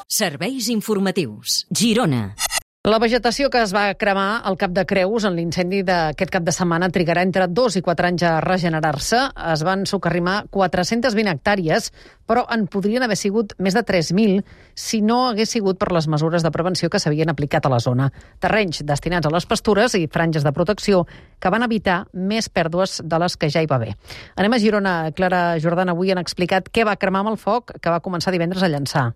Serveis informatius. Girona. La vegetació que es va cremar al Cap de Creus en l'incendi d'aquest cap de setmana trigarà entre 2 i 4 anys a regenerar-se. Es van socarrimar 420 hectàrees, però en podrien haver sigut més de 3.000 si no hagués sigut per les mesures de prevenció que s'havien aplicat a la zona. Terrenys destinats a les pastures i franges de protecció que van evitar més pèrdues de les que ja hi va haver. Anem a Girona. Clara Jordana, avui han explicat què va cremar amb el foc que va començar divendres a llançar.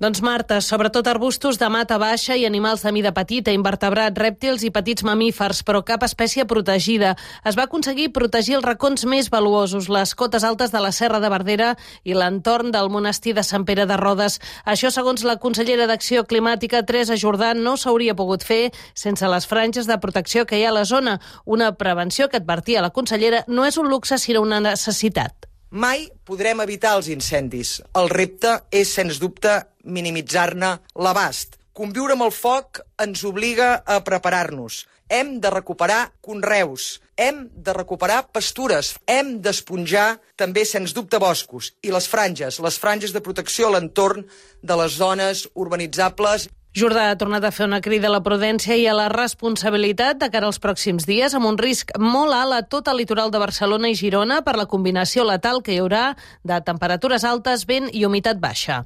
Doncs, Marta, sobretot arbustos de mata baixa i animals de mida petita, invertebrats, rèptils i petits mamífers, però cap espècie protegida. Es va aconseguir protegir els racons més valuosos, les cotes altes de la Serra de Verdera i l'entorn del monestir de Sant Pere de Rodes. Això, segons la consellera d'Acció Climàtica, Teresa Jordà, no s'hauria pogut fer sense les franges de protecció que hi ha a la zona. Una prevenció que, advertia la consellera, no és un luxe, sinó una necessitat. Mai podrem evitar els incendis. El repte és, sens dubte, minimitzar-ne l'abast. Conviure amb el foc ens obliga a preparar-nos. Hem de recuperar conreus, hem de recuperar pastures, hem d'esponjar també, sens dubte, boscos. I les franges de protecció a l'entorn de les zones urbanitzables. Jordà ha tornat a fer una crida a la prudència i a la responsabilitat de cara als pròxims dies, amb un risc molt alt a tot el litoral de Barcelona i Girona per la combinació letal que hi haurà de temperatures altes, vent i humitat baixa.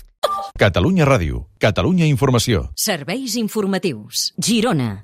Catalunya Ràdio, Catalunya Informació. Serveis informatius. Girona.